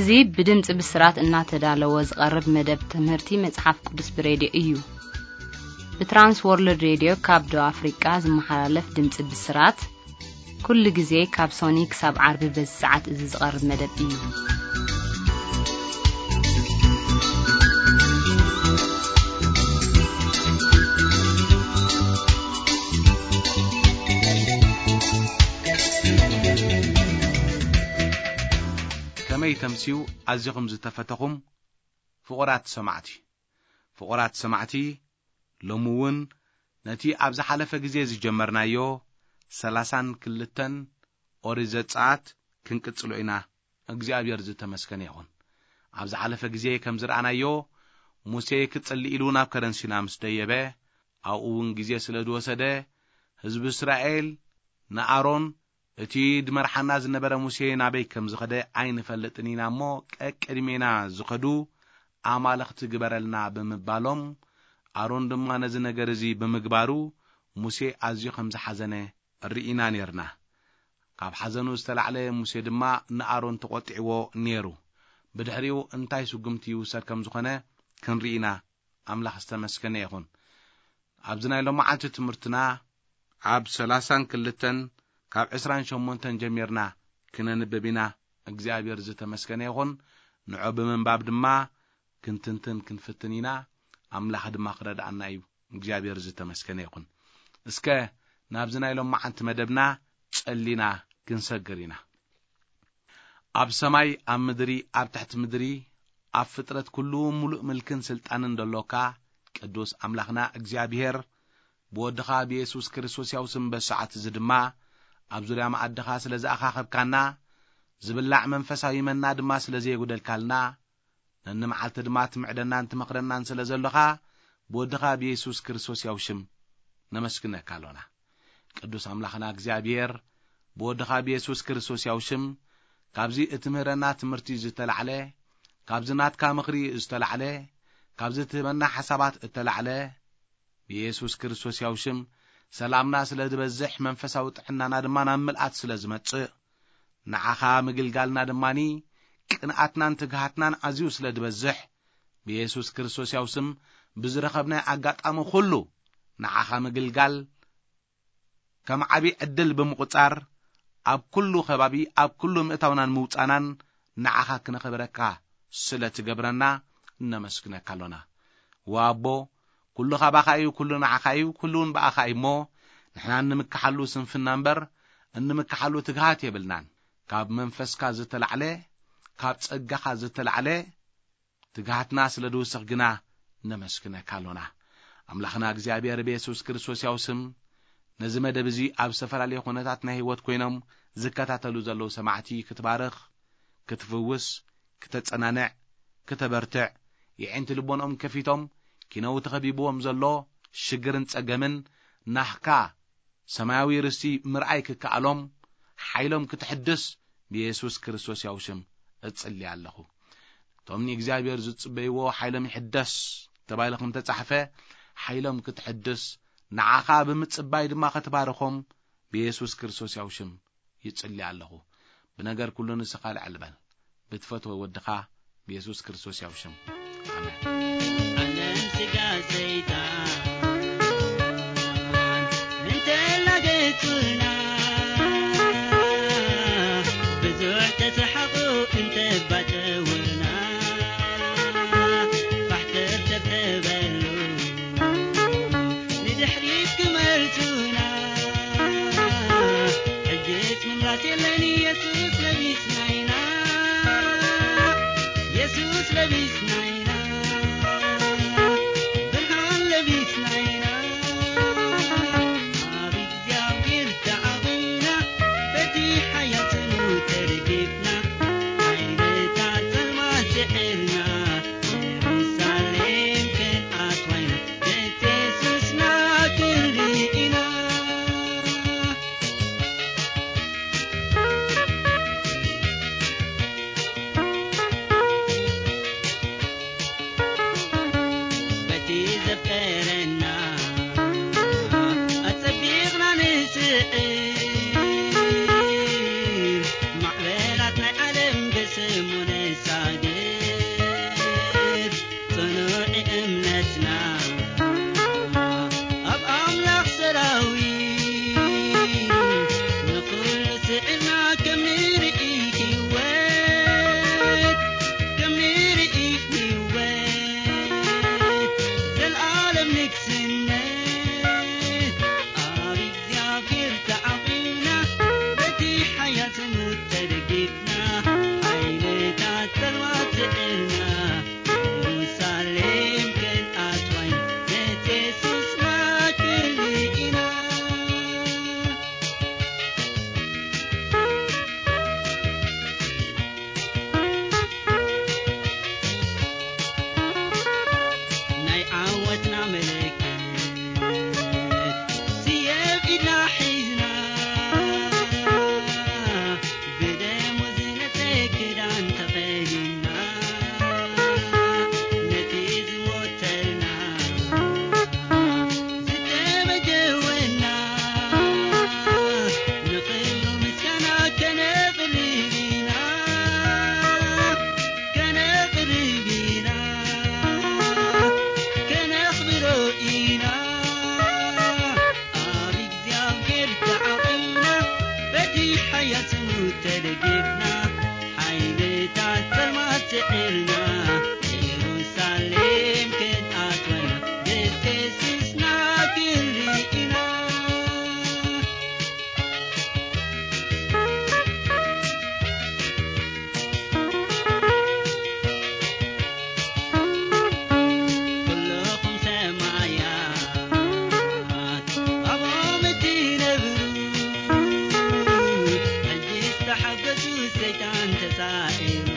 እዚ ብድምፂ ብስራት እናተዳለወ ዝቐርብ መደብ ትምህርቲ መፅሓፍ ቅዱስ ብሬድዮ እዩ። ብትራንስ ወርልድ ሬድዮ ካብ ደቡብ ኣፍሪቃ ዝመሓላለፍ ድምፂ ብስራት፣ ኩሉ ግዜ ካብ ሶኒ ክሳብ ዓርቢ በዚ ሰዓት እዚ ዝቐርብ መደብ እዩ። ከመይ ተምስዩ ኣዚኹም ዝተፈተኹም ፍቑራት ሰማዕቲ። ፍቑራት ሰማዕቲ፣ ሎሚ እውን ነቲ ኣብ ዝሓለፈ ግዜ ዝጀመርናዮ ሰላሳን ክልተን ኦሪት ዘጸኣት ክንቅጽሎ ኢና። እግዚኣብሔር ዝተመስገነ ይኹን። ኣብ ዝሓለፈ ግዜ ከም ዝረኣናዮ፣ ሙሴ ክጽሊ ኢሉ ናብ ከረን ሲና ምስ ደየበ፣ ኣብኡ እውን ግዜ ስለ ዝወሰደ፣ ህዝቢ እስራኤል ንኣሮን፣ "እቲ ድመርሓና ዝነበረ ሙሴ ናበይ ከም ዝኸደ ኣይንፈልጥን ኢና እሞ፣ ቀቅድሜና ዝኸዱ ኣማልኽቲ ግበረልና" ብምባሎም፣ ኣሮን ድማ ነዚ ነገር እዚ ብምግባሩ፣ ሙሴ ኣዝዩ ከም ዝሓዘነ ርኢና ኔርና። ካብ ሓዘኑ ዝተላዕለ ሙሴ ድማ ንኣሮን ተቖጢዕዎ ኔሩ። ብድሕሪኡ እንታይ ስጉምቲ ይውሰድ ከም ዝኾነ ክንርኢ ኢና። ኣምላኽ ዝተመስገነ ይኹን። ኣብዚ ናይ ሎማዓንቲ ትምህርትና ኣብ ሰላሳን ክልተን ካብ ዕስራን ሸሞንተን ጀሚርና ክነንብብ ኢና። እግዚኣብሔር ዝተመስገነ ይኹን። ንዑ ብምንባብ ድማ ክንትንትን ክንፍትን ኢና። ኣምላኽ ድማ ክረድኣና እዩ። እግዚኣብሔር ዝተመስገነ ይኹን። እስከ ናብዚ ናይ ሎማዓንቲ መደብና ጸሊና ክንሰግር ኢና። ኣብ ሰማይ፣ ኣብ ምድሪ፣ ኣብ ትሕቲ ምድሪ፣ ኣብ ፍጥረት ኩሉ ምሉእ ምልክን ስልጣንን ደሎካ፣ ቅዱስ ኣምላኽና እግዚኣብሔር፣ ብወድኻ ብየሱስ ክርስቶስ ያው ስም በሰዓት እዚ ድማ፣ ኣብ ዙርያ መኣድኻ ስለ ዝኣኻኸብካና፣ ዝብላዕ መንፈሳዊ መና ድማ ስለ ዘየጉደልካልና፣ ነንመዓልቲ ድማ ትምዕደናን ትመኽረናን ስለ ዘሎኻ፣ ብወድኻ ብየሱስ ክርስቶስ ያው ሽም ነመስግነካ ኣሎና። ቅዱስ ኣምላኽና እግዚኣብሔር፣ ብወድኻ ብየሱስ ክርስቶስ ያው ሽም፣ ካብዚ እትምህረና ትምህርቲ ዝተላዕለ፣ ካብዚ ናትካ ምኽሪ ዝተላዕለ፣ ካብዚ እትህበና ሓሳባት እተላዕለ፣ ብየሱስ ክርስቶስ ያው ሽም፣ ሰላምና ስለ ዝበዝሕ፣ መንፈሳዊ ጥዕናና ድማ ናብ ምልኣት ስለ ዝመጽእ፣ ንዓኻ ምግልጋልና ድማኒ፣ ቅንኣትናን ትግሃትናን ኣዝዩ ስለ ዝበዝሕ፣ ብየሱስ ክርስቶስ ያው ስም፣ ብዝረኸብናዮ ኣጋጣሚ ኩሉ፣ ንዓኻ ምግልጋል፣ ከም ዓቢ ዕድል ብምቑጻር፣ ኣብ ኩሉ ከባቢ፣ ኣብ ኩሉ ምእታውናን ምውጻናን ንዓኻ ክነኽብረካ ስለ ትገብረና፣ እነመስግነካ ኣሎና። ወኣቦ፣ ኩሉ ካባኻ እዩ፣ ኩሉ ንዓኻ እዩ፣ ኩሉ እውን ብኣኻ እዩ እሞ፣ ንሕና እንምክሓሉ ስንፍና እምበር፣ እንምክሓሉ ትግሃት የብልናን። ካብ መንፈስካ ዝተላዕለ፣ ካብ ጸጋኻ ዝተላዕለ፣ ትግሃትና ስለ ዝውስኽ ግና ነመስግነካ ኣሎና። ኣምላኽና እግዚኣብሔር ብየሱስ ክርስቶስ ያው ስም፣ ነዚ መደብ እዚ ኣብ ዝተፈላለየ ኩነታት ናይ ህይወት ኮይኖም ዝከታተሉ ዘለዉ ሰማዕቲ ክትባርኽ፣ ክትፍውስ፣ ክተጸናንዕ፣ ክተበርትዕ፣ የዒንቲ ልቦንኦም ከፊቶም፣ ኪነው ተኸቢብዎም ዘሎ ሽግርን ጸገምን ናህካ ሰማያዊ ርስቲ ምርኣይ ክከኣሎም፣ ሓይሎም ክትሕድስ ብየሱስ ክርስቶስ ያው ሽም እጽሊ ኣለኹ። እቶም ንእግዚኣብሔር ዝጽበይዎ ሓይሎም ይሕደስ ተባሂሉ ከም ተጻሕፈ፣ ሓይሎም ክትሕድስ፣ ንዓኻ ብምጽባይ ድማ ክትባርኾም ብየሱስ ክርስቶስ ያው ሽም ይጽሊ ኣለኹ። ብነገር ኩሉ ንስኻ ልዕል በል። ብትፈትዎ ወድኻ ብየሱስ ክርስቶስ ያው ሽም። ኣሜን። ዓለም ስጋ ሰይጣን እንተላገጹና፣ ብዙሕ ተሰሓቑ እንተባጨውና፣ ባሕተር ተብተበሉ ንድሕሪት ክመልሱና፣ ሕጅስ ምምላስ የለን፣ የሱስ ለቢስና ኢና፣ የሱስ ለቢስና ኢና፣ ብርሃን ለቢስና ኢና። ኣብ እግዚኣብሔር ተዓዊና፣ በቲ ሓያል ስሙ ተደጊፍና፣ ሓይልታት ጸልማት ስዒርና፣ የሩሳሌም ክንኣትዋ ኢና፣ ቤት የሱስና ክንርኢ ኢና። በቲ ዘፍቀረና ኣጸቢቕና ንስዕር፣ ማዕበላት ናይ ዓለም ብስሙ ንሳ ያስሙ ተደጊፍና፣ ሓይልታት ጸልማት ስዒርና፣ ኢየሩሳሌም ክንኣትወና፣ ብቴስስና ክንርኢና። ኩልኹም ሰማያት ኣብኦም እትነብሩ፣ ሕጂ ዝተሓገዙ ሰይጣን ተሳዒሩ።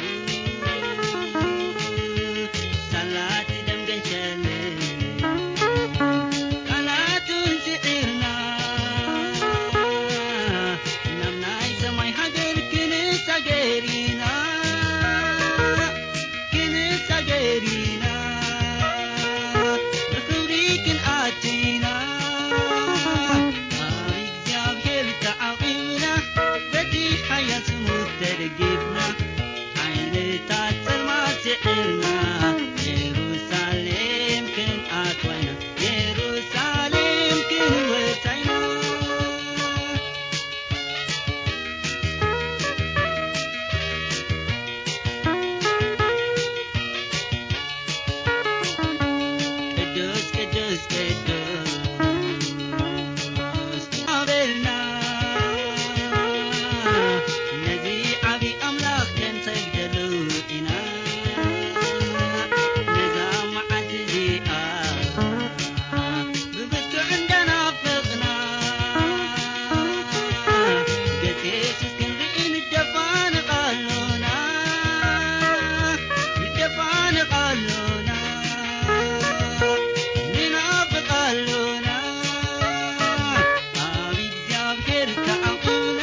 ሳላት ደም ገንሸልን ቃላቱን ስዒርና፣ ናብ ናይ ሰማይ ሃገር ክንሳገር ኢና። ክንሳገር ኢና፣ ብኽብሪ ክንኣቱ ኢና። ኣብ እግዚኣብሔር ተዓቒብና፣ በቲ ሓያል ስሙ ተደጊፍና፣ ሓይልታት ጸልማት ስዒርና፣ የሩሳሌም ክንኣትዋ ኢና፣ የሩሳሌም ክንወጻ ኢና። ቅዱስ ቅዱስ ቅዱስ ኣበልና፣ ነዚ ዓቢ ኣምላኽ ክንሰግደሉ ኢና። ነዛ መዓልቲ እዚኣ ብብርቱዕ እንዳናፈቕና፣ ገጽ የሱስ ክንርኢ ንደፋነቕ ኣሎና፣ ንደፋነቕ ኣሎና፣ ንናፍቕ ኣሎና። ኣብ እግዚኣብሔር ተዓቒብና፣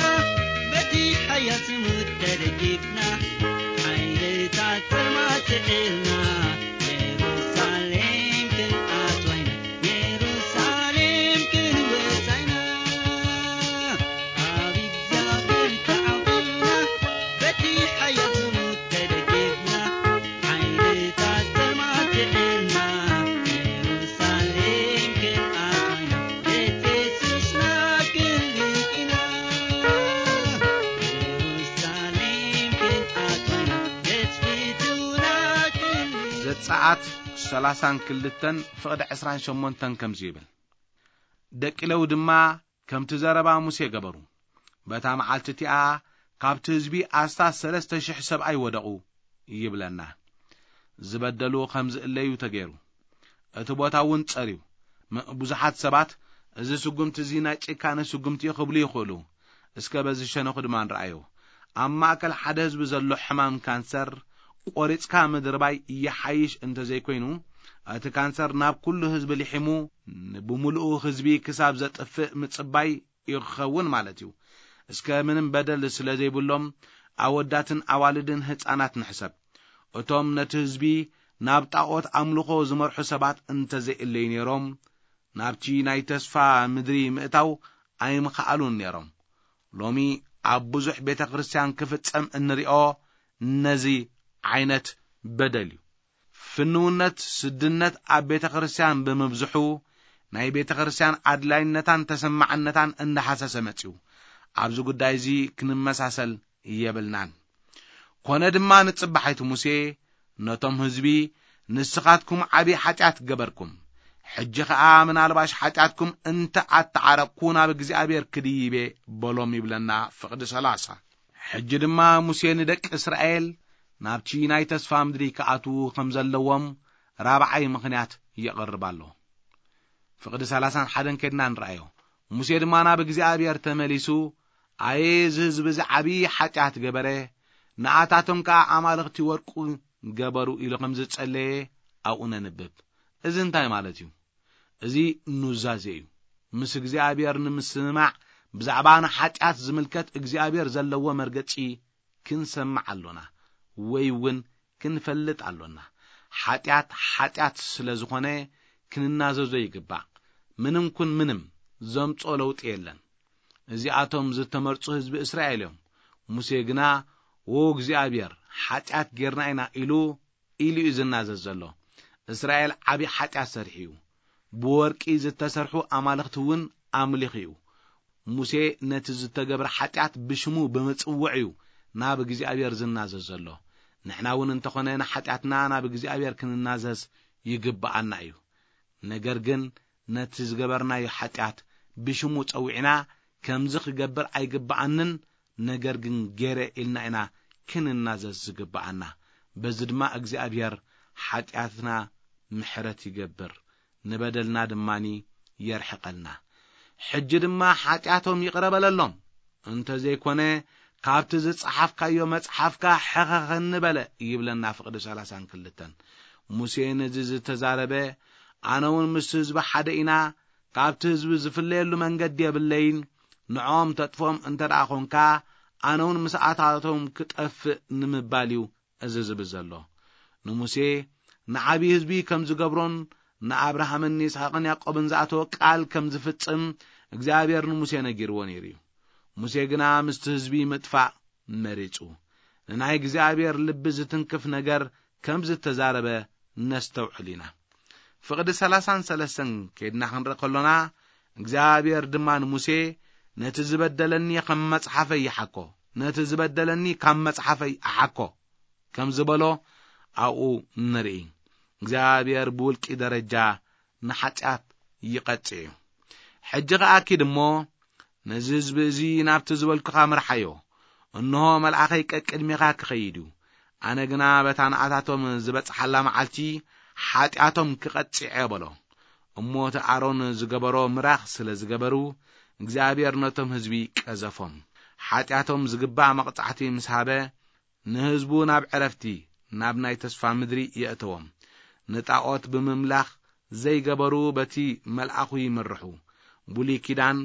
በቲ ሓያል ስሙ ተደጊፍና፣ ሓይልታት ጸልማት ስዒርና፣ የሩሳሌም ክንኣትዋ ኢና፣ የሩሳሌም ክንወጻ ኢና። ኣብ እግዚኣብሔር ተዓቒብና፣ በቲ ሓያል ስሙ ተደጊፍና፣ ሓይልታት ጸልማት ስዒርና፣ የሩሳሌም ክንኣትዋ ኢና፣ ቤት የሱስና ክንርኢ ኢና። የሩሳሌም ክንኣትዋ ኢና፣ ቤት ፍትውና ክንርኢ። ዘጸኣት ሰላሳን ክልተን ፍቕዲ ዕስራን ሸሞንተን ከምዚ ይብል፣ ደቂ ሌዊ ድማ ከምቲ ዘረባ ሙሴ ገበሩ። በታ መዓልቲ እቲኣ ካብቲ ህዝቢ ኣስታት ሰለስተ ሽሕ ሰብኣይ ወደቑ ይብለና። ዝበደሉ ከም ዝእለዩ ተገይሩ። እቲ ቦታ እውን ጸርዩ። ም-፣ ብዙሓት ሰባት፣ "እዚ ስጉምቲ እዚ ናይ ጭካነ ስጉምቲ እዩ" ክብሉ ይኽእሉ። እስከ በዚ ሸነኹ ድማ ንረኣዮ። ኣብ ማእከል ሓደ ህዝቢ ዘሎ ሕማም ካንሰር ቆሪጽካ ምድርባይ ይሓይሽ እንተዘይኮይኑ፣ እቲ ካንሰር ናብ ኩሉ ህዝቢ ልሒሙ ብምሉኡ ህዝቢ ክሳብ ዘጥፍእ ምጽባይ እዩ ክኸውን ማለት እዩ። እስከ ምንም በደል ስለ ዘይብሎም ኣወዳትን ኣዋልድን ህጻናት ንሕሰብ። እቶም ነቲ ህዝቢ ናብ ጣዖት ኣምልኾ ዝመርሑ ሰባት እንተዘይእለዩ ነይሮም፣ ናብቲ ናይ ተስፋ ምድሪ ምእታው ኣይምኸኣሉን ነይሮም። ሎሚ ኣብ ብዙሕ ቤተ ክርስቲያን ክፍጸም እንሪኦ ነዚ ዓይነት በደል እዩ። ፍንውነት ስድነት ኣብ ቤተ ክርስቲያን ብምብዝሑ፣ ናይ ቤተ ክርስቲያን ኣድላይነታን ተሰማዕነታን እንዳሃሰሰ መጺኡ። ኣብዚ ጉዳይ እዚ ክንመሳሰል የብልናን። ኮነ ድማ ንጽባሒቱ ሙሴ ነቶም ህዝቢ፣ "ንስኻትኩም ዓቢ ሓጢኣት ገበርኩም። ሕጂ ኸኣ ምናልባሽ ሓጢኣትኩም እንተ ኣተዓረቕኩ ናብ እግዚኣብሔር ክድይብ እየ" በሎም ይብለና ፍቕዲ ሰላሳ። ሕጂ ድማ ሙሴ ንደቂ እስራኤል ናብቲ ናይ ተስፋ ምድሪ ክኣትዉ ከም ዘለዎም ራብዓይ ምኽንያት የቕርብ ኣሎ። ፍቕዲ ሰላሳን ሓደን ከድና ንረኣዮ። ሙሴ ድማ ናብ እግዚኣብሔር ተመሊሱ፣ "ኣየ፣ እዚ ህዝቢ እዚ ዓብዪ ሓጢኣት ገበረ፣ ንኣታቶም ከኣ ኣማልኽቲ ወርቁ ገበሩ" ኢሉ ከም ዝጸለየ ኣብኡ ነንብብ። እዚ እንታይ ማለት እዩ? እዚ ኑዛዜ እዩ። ምስ እግዚኣብሔር ንምስምማዕ ብዛዕባ ንሓጢኣት ዝምልከት እግዚኣብሔር ዘለዎ መርገጺ ክንሰምዕ ኣሎና፣ ወይ እውን ክንፈልጥ ኣሎና። ሓጢኣት፣ ሓጢኣት ስለ ዝኾነ ክንናዘዞ ይግባእ። ምንም ኩን ምንም ዘምጽኦ ለውጢ የለን። እዚኣቶም ዝተመርጹ ህዝቢ እስራኤል እዮም። ሙሴ ግና፣ "ዎ እግዚኣብሔር፣ ሓጢኣት ጌርና ኢና" ኢሉ፣ ኢሉ እዩ ዝናዘዝ ዘሎ። እስራኤል ዓቢ ሓጢኣት ሰሪሑ እዩ። ብወርቂ ዝተሰርሑ ኣማልኽቲ እውን ኣምሊኹ እዩ። ሙሴ ነቲ ዝተገብረ ሓጢኣት ብሽሙ ብምጽውዕ እዩ ናብ እግዚኣብሔር ዝናዘዝ ዘሎ። ንሕና እውን እንተኾነ ንሓጢኣትና ናብ እግዚኣብሔር ክንናዘዝ ይግብኣና እዩ። ነገር ግን ነቲ ዝገበርናዮ ሓጢኣት ብሽሙ ጸዊዕና፣ ከምዚ ክገብር ኣይግብኣንን፣ ነገር ግን ገይረ ኢልና ኢና ክንናዘዝ ዝግብኣና። በዚ ድማ እግዚኣብሔር ሓጢኣትና ምሕረት ይገብር፣ ንበደልና ድማኒ የርሕቐልና። ሕጂ ድማ ሓጢኣቶም ይቕረ በለሎም፣ እንተ ዘይኮነ ካብቲ ዝጸሓፍካዮ መጽሓፍካ ሕኸኸኒ በለ ይብለና ፍቕዲ ሰላሳን ክልተን። ሙሴ ነዚ ዝተዛረበ፣ ኣነ እውን ምስ ህዝቢ ሓደ ኢና፣ ካብቲ ህዝቢ ዝፍለየሉ መንገዲ የብለይን፣ ንዖም ተጥፎም እንተ ደኣ ኾንካ፣ ኣነ እውን ምስኣታቶም ክጠፍእ ንምባል እዩ እዚ ዝብል ዘሎ። ንሙሴ ንዓብዪ ህዝቢ ከም ዝገብሮን ንኣብርሃምን ንይስሐቅን ያዕቆብን ዝኣተወ ቃል ከም ዝፍጽም እግዚኣብሔር ንሙሴ ነጊርዎ ነይሩ እዩ። ሙሴ ግና ምስቲ ህዝቢ ምጥፋእ መሪጹ። ንናይ እግዚኣብሔር ልቢ ዝትንክፍ ነገር ከም ዝተዛረበ ነስተውዕል ኢና። ፍቕዲ ሰላሳን ሰለስተን ከይድና ክንርኢ ከሎና፣ እግዚኣብሔር ድማ ንሙሴ፣ ነቲ ዝበደለኒ ከም መጽሓፈይ ይሓኮ፣ ነቲ ዝበደለኒ ካብ መጽሓፈይ ይሓኮ ከም ዝበሎ ኣብኡ ንርኢ። እግዚኣብሔር ብውልቂ ደረጃ ንሓጢኣት ይቐጽዕ እዩ። ሕጂ ኸኣ ኪድ እሞ ነዚ ህዝቢ እዚ ናብቲ ዝበልኩኻ ምርሓዮ። እንሆ መልኣኸይ ቀቅድሜኻ ክኸይድ እዩ። ኣነ ግና በታ ንኣታቶም ዝበጽሓላ መዓልቲ ሓጢኣቶም ክቐጽዕ እየ በሎ። እሞ እቲ ኣሮን ዝገበሮ ምራኽ ስለ ዝገበሩ እግዚኣብሔር ነቶም ህዝቢ ቀዘፎም። ሓጢኣቶም ዝግባእ መቕጻዕቲ ምስ ሃበ ንህዝቡ ናብ ዕረፍቲ፣ ናብ ናይ ተስፋ ምድሪ የእተዎም። ንጣዖት ብምምላኽ ዘይገበሩ በቲ መልኣኹ ይምርሑ። ብሉይ ኪዳን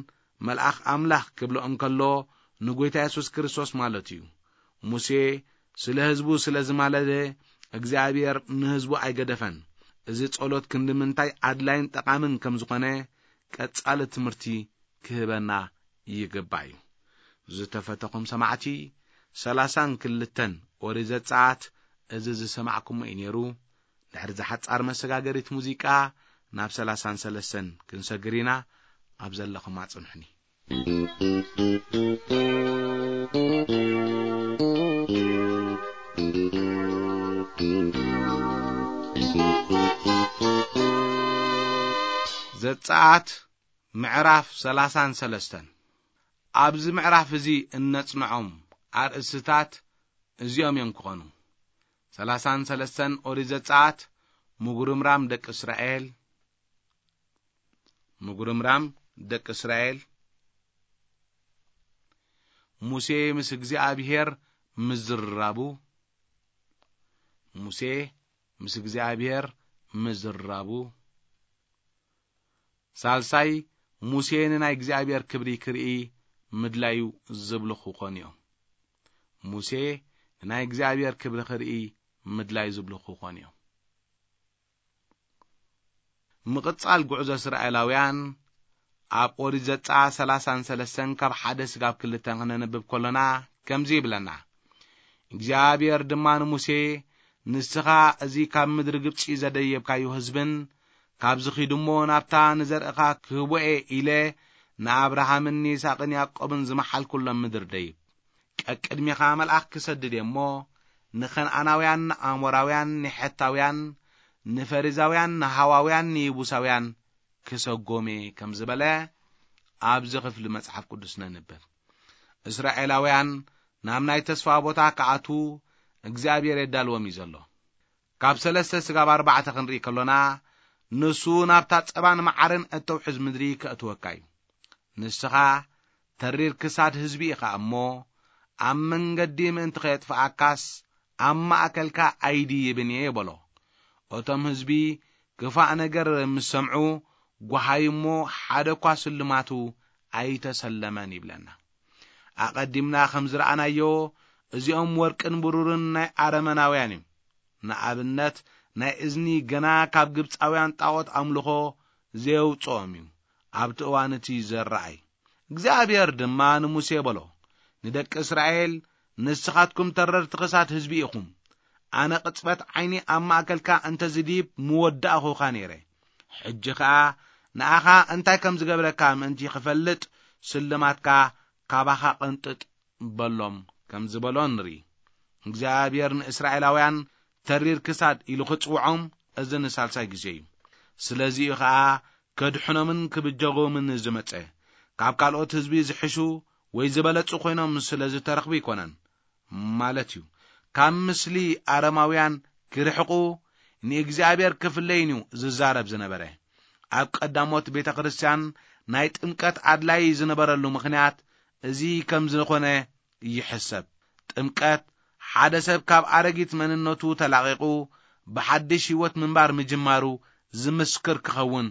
መልኣኽ ኣምላኽ ክብሎ እንከሎ ንጎይታ የሱስ ክርስቶስ ማለት እዩ። ሙሴ ስለ ህዝቡ ስለ ዝማለደ እግዚኣብሔር ንህዝቡ ኣይገደፈን። እዚ ጸሎት ክንዲ ምንታይ ኣድላይን ጠቓምን ከም ዝኾነ ቀጻሊ ትምህርቲ ክህበና ይግባእ እዩ። ዝተፈተኹም ሰማዕቲ፣ ሰላሳን ክልተን ኦሪት ዘጸኣት እዚ ዝሰማዕኩሞ እዩ ነይሩ። ድሕሪ ዝሓጻር መሰጋገሪት ሙዚቃ ናብ ሰላሳን ሰለስተን ክንሰግር ኢና። ኣብ ዘለኹም ኣጽንሑኒ። ዘጸኣት ምዕራፍ ሰላሳን ሰለስተን። ኣብዚ ምዕራፍ እዚ እነጽንዖም ኣርእስትታት እዚኦም እዮም ክኾኑ። ሰላሳን ሰለስተን ኦሪት ዘጸኣት፣ ምጉርምራም ደቂ እስራኤል፣ ምጉርምራም ደቂ እስራኤል፣ ሙሴ ምስ እግዚኣብሔር ምዝርራቡ፣ ሙሴ ምስ እግዚኣብሔር ምዝርራቡ። ሳልሳይ፣ ሙሴ ንናይ እግዚኣብሔር ክብሪ ክርኢ ምድላዩ ዝብሉ ክኾኑ እዮም። ሙሴ ንናይ እግዚኣብሔር ክብሪ ክርኢ ምድላዩ ዝብሉ ክኾኑ እዮም። ምቕጻል ጉዕዞ እስራኤላውያን ኣብ ኦሪት ዘጸኣት ሰላሳን ሰለስተን ካብ ሓደ ስጋብ ክልተን ክነንብብ ከሎና ከምዚ ይብለና። እግዚኣብሔር ድማ ንሙሴ፣ ንስኻ እዚ ካብ ምድሪ ግብጺ ዘደየብካዮ ህዝብን ካብዚ ኺዱ እሞ ናብታ ንዘርእኻ ክህቦ እየ ኢለ ንኣብርሃምን ንይስሐቅን ያዕቆብን ዝመሓልኩሎም ምድሪ ደይብ። ቀቅድሜኻ መልኣኽ ክሰድድ እየ እሞ ንኸነኣናውያን፣ ንኣሞራውያን፣ ንሐታውያን፣ ንፈሪዛውያን፣ ንሃዋውያን፣ ንይቡሳውያን ክሰጎም እየ ከም ዝበለ ኣብዚ ክፍሊ መጽሓፍ ቅዱስ ነንብብ። እስራኤላውያን ናብ ናይ ተስፋ ቦታ ክኣትዉ እግዚኣብሔር የዳልዎም እዩ ዘሎ። ካብ ሰለስተ ስጋብ ኣርባዕተ ክንርኢ ከሎና፣ ንሱ ናብታ ጸባን መዓርን እተውሕዝ ምድሪ ከእትወካ እዩ። ንስኻ ተሪር ክሳድ ህዝቢ ኢኻ እሞ፣ ኣብ መንገዲ ምእንቲ ኸየጥፍኣካስ ኣብ ማእከልካ ኣይድይብን እየ በሎ። እቶም ህዝቢ ክፋእ ነገር ምስ ሰምዑ፣ ጓሃዩ እሞ ሓደ እኳ ስልማቱ ኣይተሰለመን ይብለና። ኣቐዲምና ከም ዝረኣናዮ፣ እዚኦም ወርቅን ብሩርን ናይ ኣረመናውያን እዩ። ንኣብነት፣ ናይ እዝኒ ገና ካብ ግብጻውያን ጣዖት ኣምልኾ ዘየውጽኦም እዩ፣ ኣብቲ እዋን እቲ ዘረኣይ። እግዚኣብሔር ድማ ንሙሴ በሎ፣ ንደቂ እስራኤል፣ ንስኻትኩም ተረርቲ ክሳድ ህዝቢ ኢኹም። ኣነ ቅጽበት ዓይኒ ኣብ ማእከልካ እንተ ዝድይብ ምወዳእኹኻ ነይረ። ሕጂ ኸኣ ንኣኻ እንታይ ከም ዝገብረካ ምእንቲ ክፈልጥ፣ ስልማትካ ካባኻ ቅንጥጥ በሎም ከም ዝበሎ ንርኢ። እግዚኣብሔር ንእስራኤላውያን ተሪር ክሳድ ኢሉ ክጽውዖም እዚ ንሳልሳይ ግዜ እዩ። ስለዚ'ዩ ኸኣ ከድሕኖምን ክብጀጎምን ዝመጸ። ካብ ካልኦት ህዝቢ ዝሕሹ ወይ ዝበለጹ ኮይኖም ስለ ዝተረኽቡ ኣይኮነን ማለት እዩ። ካብ ምስሊ ኣረማውያን ክርሕቁ ንእግዚኣብሔር ክፍለይን እዩ ዝዛረብ ዝነበረ። ኣብ ቀዳሞት ቤተ ክርስቲያን ናይ ጥምቀት ኣድላይ ዝነበረሉ ምኽንያት እዚ ከም ዝኾነ ይሕሰብ። ጥምቀት ሓደ ሰብ ካብ ኣረጊት መንነቱ ተላቒቑ ብሓድሽ ህይወት ምንባር ምጅማሩ ዝምስክር ክኸውን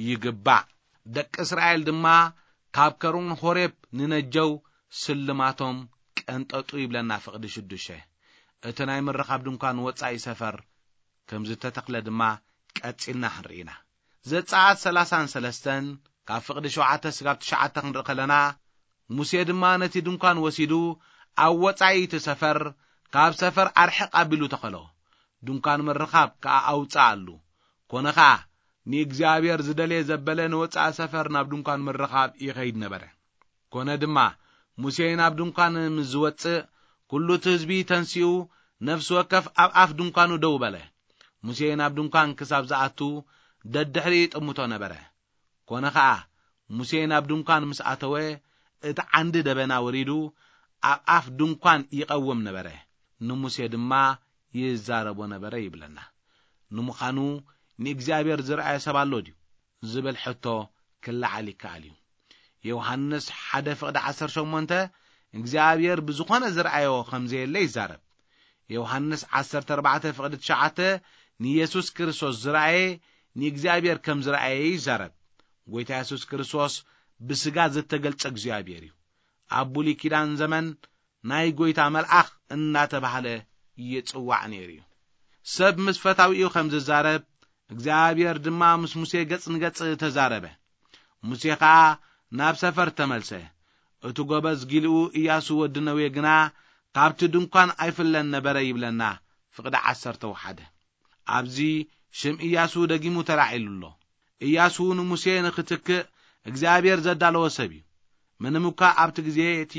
ይግባእ። ደቂ እስራኤል ድማ ካብ ከሩን ሆሬብ ንነጀው ስልማቶም ቀንጠጡ ይብለና ፍቕዲ ሽዱሽተ። እቲ ናይ ምርኻብ ድንኳን ወጻኢ ሰፈር ከም ዝተተኽለ ድማ ቀጺልና ክንርኢ ኢና። ዘጸኣት ሰላሳን ሰለስተን ካብ ፍቕዲ ሸውዓተ ስጋብ ትሽዓተ ክንርኢ ከለና፣ ሙሴ ድማ ነቲ ድንኳን ወሲዱ ኣብ ወጻኢ እቲ ሰፈር፣ ካብ ሰፈር ኣርሕቕ ኣቢሉ ተኸሎ። ድንኳን ምርኻብ ከኣ ኣውጽኣሉ። ኮነ ኸኣ፣ ንእግዚኣብሔር ዝደልየ ዘበለ ንወጻኢ ሰፈር ናብ ድንኳን ምርኻብ ይኸይድ ነበረ። ኮነ ድማ፣ ሙሴ ናብ ድንኳን ምስ ዝወጽእ፣ ኩሉ እቲ ህዝቢ ተንሲኡ፣ ነፍሲ ወከፍ ኣብ ኣፍ ድንኳኑ ደው በለ። ሙሴ ናብ ድንኳን ክሳብ ዝኣቱ፣ ደድሕሪ ይጥምቶ ነበረ። ኮነ ኸኣ፣ ሙሴ ናብ ድንኳን ምስ ኣተወ፣ እቲ ዓንዲ ደበና ወሪዱ፣ ኣብ ኣፍ ድንኳን ይቐውም ነበረ። ንሙሴ ድማ ይዛረቦ ነበረ ይብለና። ንምዃኑ፣ ንእግዚኣብሔር ዝረኣየ ሰብ ኣሎ ድዩ? ዝብል ሕቶ ክለዓል ይከኣል እዩ። ዮሃንስ ሓደ ፍቕዲ ዓሰርተ ሸሞንተ እግዚኣብሔር ብዝኾነ ዝረኣዮ ከም ዘየለ ይዛረብ። ዮሃንስ ዓሰርተ ኣርባዕተ ፍቕዲ ትሽዓተ ንየሱስ ክርስቶስ ዝረኣየ ንእግዚኣብሔር ከም ዝረኣየ ይዛረብ። ጎይታ የሱስ ክርስቶስ ብስጋ ዝተገልጸ እግዚኣብሔር እዩ። ኣብ ብሉይ ኪዳን ዘመን ናይ ጎይታ መልኣኽ እናተባህለ ይጽዋዕ ነይሩ እዩ። ሰብ ምስ ፈታዊኡ ከም ዝዛረብ፣ እግዚኣብሔር ድማ ምስ ሙሴ ገጽ ንገጽ ተዛረበ። ሙሴ ኸኣ ናብ ሰፈር ተመልሰ። እቲ ጎበዝ ጊልኡ ኢያሱ ወዲ ነዌ ግና ካብቲ ድንኳን ኣይፍለን ነበረ ይብለና፣ ፍቕዲ ዓሰርተ ሓደ። ኣብዚ ሽም ኢያሱ ደጊሙ ተላዒሉ ኣሎ። ኢያሱ ንሙሴ ንኽትክእ እግዚኣብሔር ዘዳለወ ሰብ እዩ። ምንም እኳ ኣብቲ ግዜ እቲ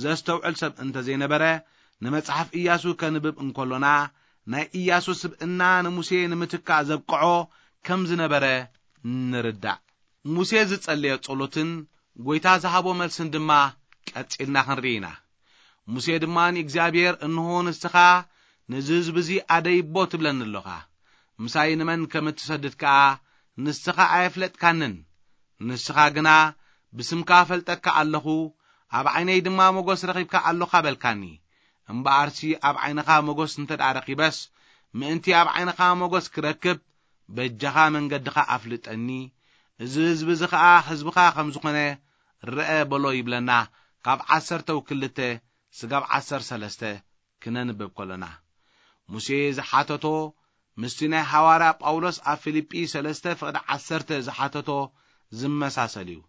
ዘስተውዕል ሰብ እንተ ዘይነበረ፣ ንመጽሓፍ ኢያሱ ከንብብ እንከሎና፣ ናይ ኢያሱ ስብእና ንሙሴ ንምትካእ ዘብቅዖ ከም ዝነበረ ንርዳእ። ሙሴ ዝጸለዮ ጸሎትን ጐይታ ዝሃቦ መልስን ድማ ቀጺልና ክንርኢ ኢና። ሙሴ ድማ ንእግዚኣብሔር፣ "እንሆ ንስኻ ነዚ ህዝቢ እዚ ኣደይቦ ትብለኒ ኣሎኻ፣ ምሳይ ንመን ከም እትሰድድ ከኣ ንስኻ ኣየፍለጥካንን። ንስኻ ግና ብስምካ እፈልጠካ ኣለኹ፣ ኣብ ዓይነይ ድማ ሞገስ ረኺብካ ኣሎኻ" በልካኒ። እምበኣርሲ ኣብ ዓይንኻ ሞገስ እንተ ደኣ ረኺበስ፣ ምእንቲ ኣብ ዓይንኻ ሞገስ ክረክብ፣ በጃኻ መንገድኻ ኣፍልጠኒ፣ እዚ ህዝቢ እዚ ኸኣ ህዝብኻ ከም ዝኾነ ርአ በሎ ይብለና፣ ካብ ዓሰርተ ክልተ ስጋብ ዓሰርተ ሰለስተ ክነንብብ ከሎና። ሙሴ ዝሓተቶ ምስቲ ናይ ሃዋርያ ጳውሎስ ኣብ ፊልጲ ሰለስተ ፍቕዲ ዓሰርተ ዝሓተቶ ዝመሳሰል እዩ።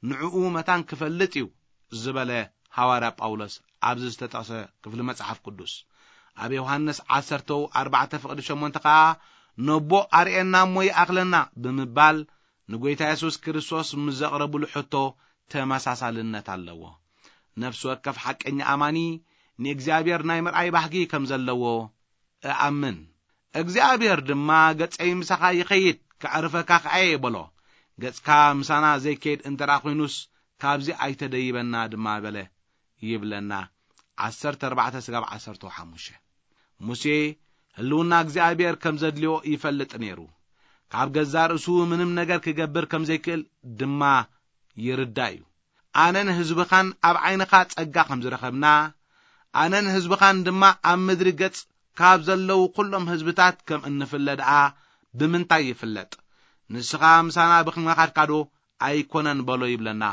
ንዕኡ መታን ክፈልጥ እዩ ዝበለ ሃዋርያ ጳውሎስ ኣብዚ ዝተጠቕሰ ክፍሊ መጽሓፍ ቅዱስ። ኣብ ዮሃንስ ዓሰርተ ኣርባዕተ ፍቕዲ ሸሞንተ ኸኣ፣ "ነቦ ኣርእየና እሞ ይኣኽለና" ብምባል ንጐይታ የሱስ ክርስቶስ ምስ ዘቕረብሉ ሕቶ ተመሳሳልነት ኣለዎ። ነፍሲ ወከፍ ሓቀኛ ኣማኒ ንእግዚኣብሔር ናይ ምርኣይ ባህጊ ከም ዘለዎ እኣምን። እግዚኣብሔር ድማ፣ "ገጸይ ምሳኻ ይኸይድ፣ ከዕርፈካ ከኣ እየ" በሎ። "ገጽካ ምሳና ዘይከይድ እንተ ደኣ ኾይኑስ፣ ካብዚ ኣይተደይበና ድማ" በለ ይብለና። ዓሰርተ ኣርባዕተ ስጋብ ዓሰርተ ሓሙሽተ። ሙሴ ህልውና እግዚኣብሔር ከም ዘድልዮ ይፈልጥ ነይሩ። ካብ ገዛእ ርእሱ ምንም ነገር ክገብር ከም ዘይክእል ድማ ይርዳእ እዩ። ኣነን ህዝብኻን ኣብ ዓይንኻ ጸጋ ከም ዝረኸብና፣ ኣነን ህዝብኻን ድማ ኣብ ምድሪ ገጽ ካብ ዘለዉ ኩሎም ህዝብታት ከም እንፍለ ደኣ ብምንታይ ይፍለጥ? ንስኻ ምሳና ብኽንኻድካዶ ኣይኮነን በሎ ይብለና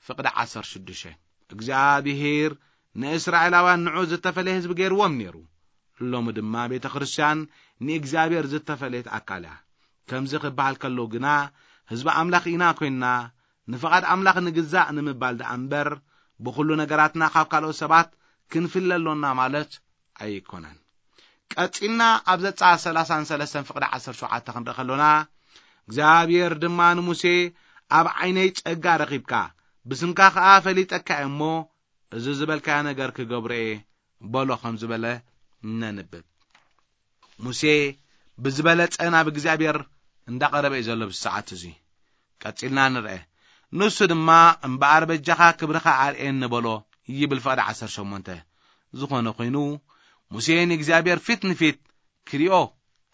ፍቕዲ ዓሰርተ ሽዱሽተ። እግዚኣብሔር ንእስራኤላውያን ንዑ ዝተፈለየ ህዝቢ ገይርዎም ነይሩ። ሎሚ ድማ ቤተ ክርስቲያን ንእግዚኣብሔር ዝተፈለየት ኣካል እያ። ከምዚ ክበሃል ከሎ ግና ህዝቢ ኣምላኽ ኢና ኮይንና ንፍቓድ ኣምላኽ ንግዛእ ንምባል ደኣ እምበር፣ ብኹሉ ነገራትና ካብ ካልኦት ሰባት ክንፍለ ኣሎና ማለት ኣይኮነን። ቀጺልና ኣብ ዘጸኣት ሰላሳን ሰለስተን ፍቕዲ ዓሰርተ ሸውዓተ ክንርኢ ከሎና፣ እግዚኣብሔር ድማ ንሙሴ፣ "ኣብ ዓይነይ ጸጋ ረኺብካ፣ ብስምካ ኸኣ ፈሊጠካ እየ እሞ፣ እዚ ዝበልካዮ ነገር ክገብሮ እየ በሎ ከም ዝበለ ነንብብ። ሙሴ ብዝበለጸ ናብ እግዚኣብሔር እንዳቐረበ እዩ ዘሎ ብዚ ሰዓት እዚ። ቀጺልና ንርአ። ንሱ ድማ፣ "እምበኣር በጃኻ ክብርኻ ኣርእየኒ" በሎ ይብል ፍቕዲ ዓሰርተ ሸሞንተ። ዝኾነ ኮይኑ፣ ሙሴ ንእግዚኣብሔር ፊት ንፊት ክሪኦ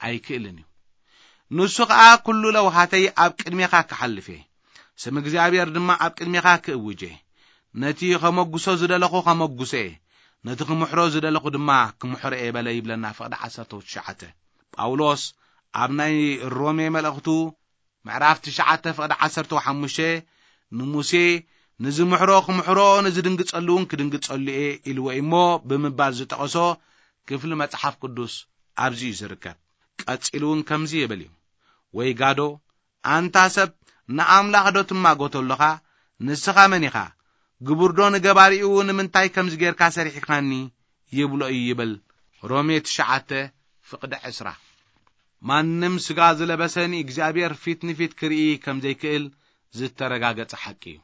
ኣይክእልን እዩ። ንሱ ኸኣ፣ "ኩሉ ለውሃተይ ኣብ ቅድሜኻ ክሓልፍ እየ፣ ስም እግዚኣብሔር ድማ ኣብ ቅድሜኻ ክእውጅ እየ። ነቲ ኸመጉሶ ዝደለኹ ኸመጉሶ እየ፣ ነቲ ክምሕሮ ዝደለኹ ድማ ክምሕሮ እየ" በለ ይብለና ፍቕዲ ዓሰርተ ትሽዓተ። ጳውሎስ ኣብ ናይ ሮሜ መልእኽቱ ምዕራፍ ትሽዓተ ፍቕዲ ዓሰርተ ሓሙሽተ ንሙሴ፣ "ንዝምሕሮ ክምሕሮ፣ ንዝድንግጸሉ እውን ክድንግጸሉ እየ" ኢልዎ እሞ ብምባል ዝጠቐሶ ክፍሊ መጽሓፍ ቅዱስ ኣብዚ እዩ ዝርከብ። ቀጺሉ እውን ከምዚ ይብል እዩ፣ "ወይ ጋዶ፣ ኣንታ ሰብ፣ ንኣምላኽ ዶ ትማጎቶ ኣለኻ? ንስኻ መን ኢኻ? ግቡር ዶ ንገባሪኡ ንምንታይ ከምዚ ጌርካ ሰሪሕካኒ?" ይብሎ እዩ ይብል ሮሜ ትሽዓተ ፍቕዲ ዕስራ። ማንም ስጋ ዝለበሰ ንእግዚኣብሔር ፊት ንፊት ክርኢ ከም ዘይክእል ዝተረጋገጸ ሓቂ እዩ።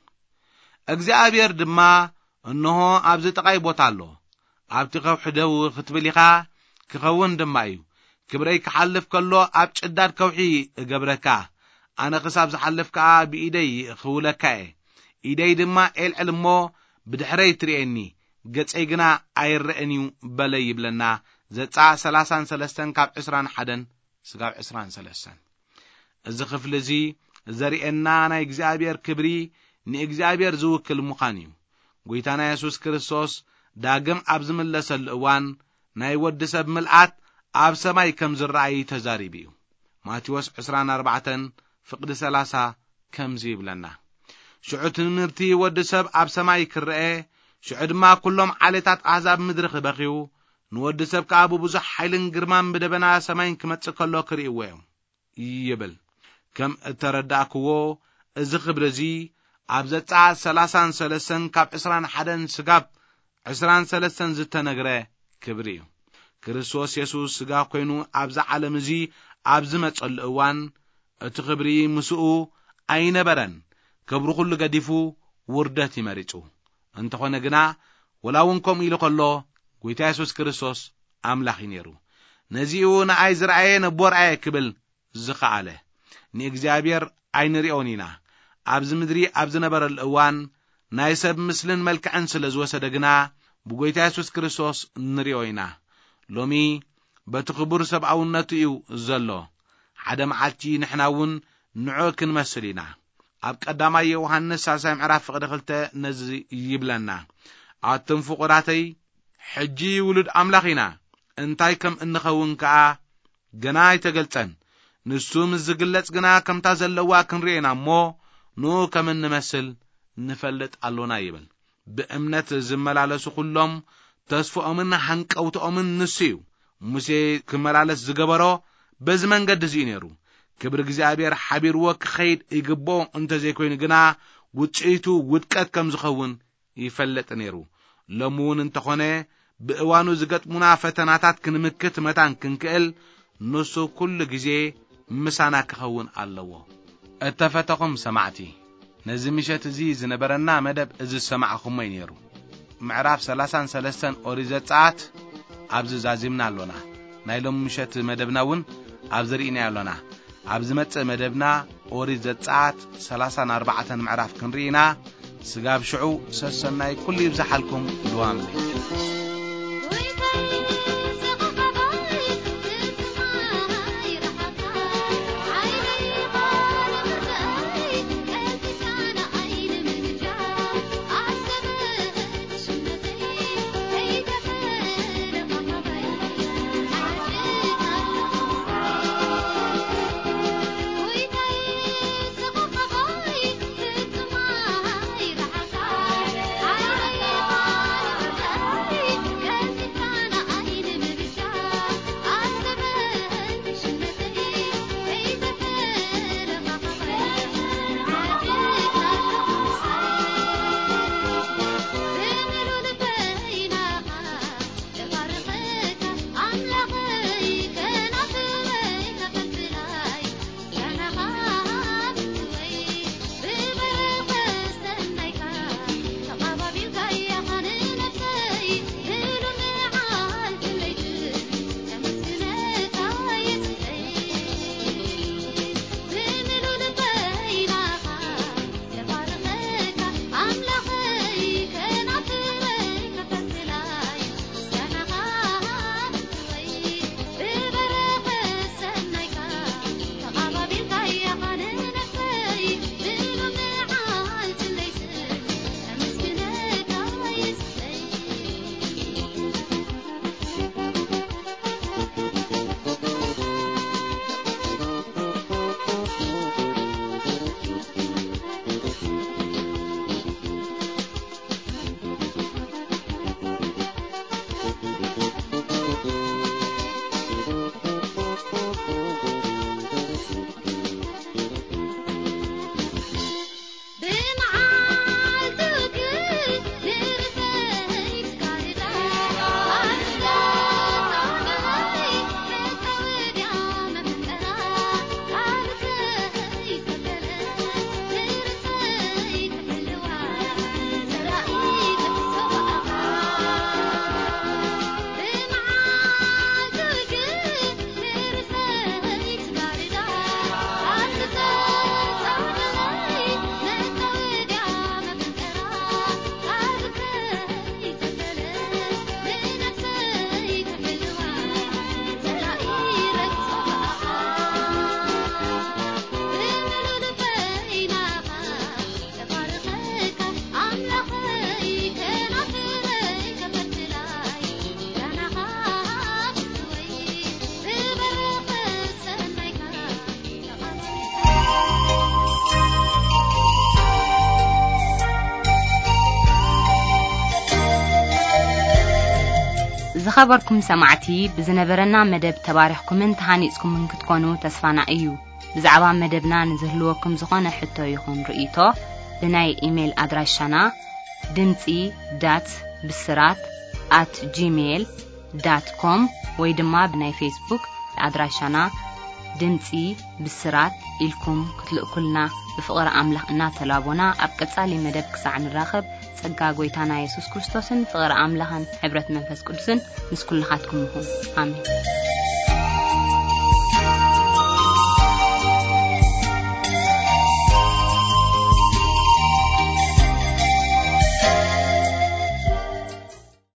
እግዚኣብሔር ድማ፣ "እንሆ ኣብዚ ጥቓይ ቦታ ኣሎ፣ ኣብቲ ከውሒ ደው ክትብል ኢኻ፣ ክኸውን ድማ እዩ። ክብረይ ክሓልፍ ከሎ ኣብ ጭዳድ ከውሒ እገብረካ፣ ኣነ ክሳብ ዝሓልፍ ከኣ ብኢደይ ክውለካ እየ። ኢደይ ድማ ኤልዕል እሞ ብድሕረይ ትርእየኒ፣ ገጸይ ግና ኣይረአን እዩ" በለ ይብለና ዘጸኣት ሰላሳን ሰለስተን ካብ ዕስራን ሓደን ስጋብ ዕስራን ሰለስተን። እዚ ክፍሊ እዚ ዘርእየና ናይ እግዚኣብሔር ክብሪ ንእግዚኣብሔር ዝውክል ምዃን እዩ። ጐይታና የሱስ ክርስቶስ ዳግም ኣብ ዝምለሰሉ እዋን ናይ ወዲ ሰብ ምልኣት ኣብ ሰማይ ከም ዝረኣይ ተዛሪቡ እዩ። ማቴዎስ ዕስራን ኣርባዕተን ፍቕዲ ሰላሳ ከምዚ ይብለና፣ "ሽዑ ትምህርቲ ወዲ ሰብ ኣብ ሰማይ ክረአ፣ ሽዑ ድማ ኩሎም ዓሌታት ኣህዛብ ምድሪ ክበኽዩ፣ ንወዲ ሰብ ከኣ ብብዙሕ ሓይልን ግርማን ብደበና ሰማይን ክመጽእ ከሎ ክርእይዎ እዮም" ይብል። ከም እተረዳእክዎ፣ እዚ ክብሪ እዚ ኣብ ዘጸኣት ሰላሳን ሰለስተን ካብ ዕስራን ሓደን ስጋብ ዕስራን ሰለስተን ዝተነግረ ክብሪ እዩ። ክርስቶስ የሱስ ስጋ ኮይኑ ኣብዚ ዓለም እዚ ኣብ ዝመጸሉ እዋን፣ እቲ ክብሪ ምስኡ ኣይነበረን። ክብሪ ኩሉ ገዲፉ ውርደት እዩ መሪጹ። እንተኾነ ግና፣ ወላ እውን ከምኡ ኢሉ ከሎ፣ ጐይታ የሱስ ክርስቶስ ኣምላኽ እዩ ነይሩ። ነዚኡ ንኣይ ዝረኣየ ነቦ ረኣየ ክብል ዝኸኣለ። ንእግዚኣብሔር ኣይንሪኦን ኢና። ኣብዚ ምድሪ ኣብ ዝነበረሉ እዋን ናይ ሰብ ምስልን መልክዕን ስለ ዝወሰደ ግና ብጎይታ የሱስ ክርስቶስ ንሪኦ ኢና። ሎሚ በቲ ክቡር ሰብኣውነቱ እዩ ዘሎ። ሓደ መዓልቲ ንሕና እውን ንዑ ክንመስል ኢና። ኣብ ቀዳማይ ዮሃንስ ሳልሳይ ምዕራፍ ፍቕዲ ክልተ ነዚ ይብለና። ኣቱም ፍቑራተይ፣ ሕጂ ውሉድ ኣምላኽ ኢና፣ እንታይ ከም እንኸውን ከኣ ገና ኣይተገልጸን። ንሱ ምስ ዝግለጽ ግና ከምታ ዘለዋ ክንርእዮ ኢና እሞ፣ ንኡ ከም እንመስል ንፈልጥ ኣሎና ይብል። ብእምነት ዝመላለሱ ኩሎም ተስፍኦምን ሃንቀውትኦምን ንሱ እዩ። ሙሴ ክመላለስ ዝገበሮ በዚ መንገዲ እዚ እዩ ነይሩ። ክብሪ እግዚኣብሔር ሓቢርዎ ክኸይድ ይግብኦ እንተ ዘይኮይኑ ግና ውጽኢቱ ውድቀት ከም ዝኸውን ይፈልጥ ነይሩ። ሎሚ እውን እንተኾነ ብእዋኑ ዝገጥሙና ፈተናታት ክንምክት መታን ክንክእል ንሱ ኩሉ ግዜ ምሳና ክኸውን ኣለዎ። እተፈተኹም ሰማዕቲ፣ ነዚ ምሸት እዚ ዝነበረና መደብ እዚ ዝሰማዕኹሞ እዩ ነይሩ። ምዕራፍ ሰላሳን ሰለስተን ኦሪት ዘጸኣት ኣብዚ ዛዚምና ኣሎና። ናይ ሎም ምሸት መደብና እውን ኣብዚ ርኢናዮ ኣሎና። ኣብ ዝመጽእ መደብና ኦሪት ዘጸኣት ሰላሳን ኣርባዕተን ምዕራፍ ክንርኢ ኢና። ስጋብ ሽዑ ሰሰናይ ኩሉ ይብዝሓልኩም። ልዋም ዝኸበርኩም ሰማዕቲ፣ ብዝነበረና መደብ ተባሪኽኩምን ተሃኒጽኩምን ክትኮኑ ተስፋና እዩ። ብዛዕባ መደብና ንዝህልወኩም ዝኾነ ሕቶ ይኹን ርእይቶ፣ ብናይ ኢሜይል ኣድራሻና ድምጺ ዳት ብስራት ኣት ጂሜይል ዳት ኮም ወይ ድማ ብናይ ፌስቡክ ኣድራሻና ድምጺ ብስራት ኢልኩም ክትልእኩልና ብፍቕሪ ኣምላኽ እናተላቦና፣ ኣብ ቀጻሊ መደብ ክሳዕ ንራኸብ፣ ጸጋ ጎይታና የሱስ ክርስቶስን ፍቕሪ ኣምላኽን ሕብረት መንፈስ ቅዱስን ምስ ኩልኻትኩም ይኹን። ኣሜን።